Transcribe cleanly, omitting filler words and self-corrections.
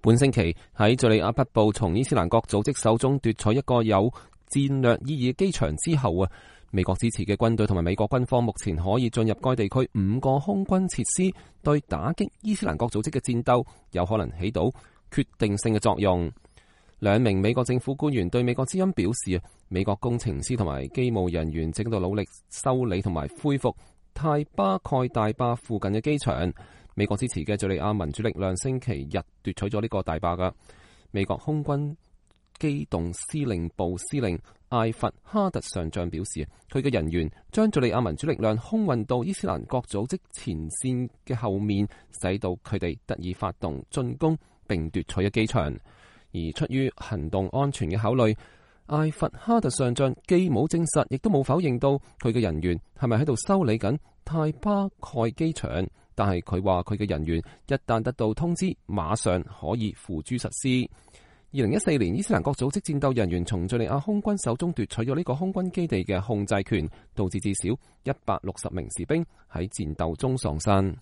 本星期喺敘利亞北部從伊斯蘭國組織手中奪取一個有戰略意義嘅機場之後美國支持嘅軍隊同埋美國軍方目前可以進入該地區5個空軍設施，對打擊伊斯蘭國組織嘅戰鬥有可能起到決定性嘅作用。2名美國政府官員對美國之音表示，美國工程師同埋機務人員正喺度努力修理同埋恢復泰巴蓋大壩附近嘅機場。美國支持嘅敘利亞民主力量星期日奪取咗呢個大壩㗎。美國空軍機動司令部司令艾弗哈特上將表示，佢嘅人員將敘利亞民主力量空運到伊斯蘭國組織前線嘅後面，使到佢哋得以發動進攻並奪取咗機場。而出於行動安全嘅考慮，艾弗哈特上將既冇證實，亦都冇否認到佢嘅人員係咪喺度修理緊泰巴蓋機場。但係佢話佢嘅人員一旦得到通知，馬上可以付諸實施。2014年，伊斯蘭國組織戰鬥人員從敘利亞空軍手中奪取咗呢個空軍基地嘅控制權，導致至少160名士兵喺戰鬥中喪生。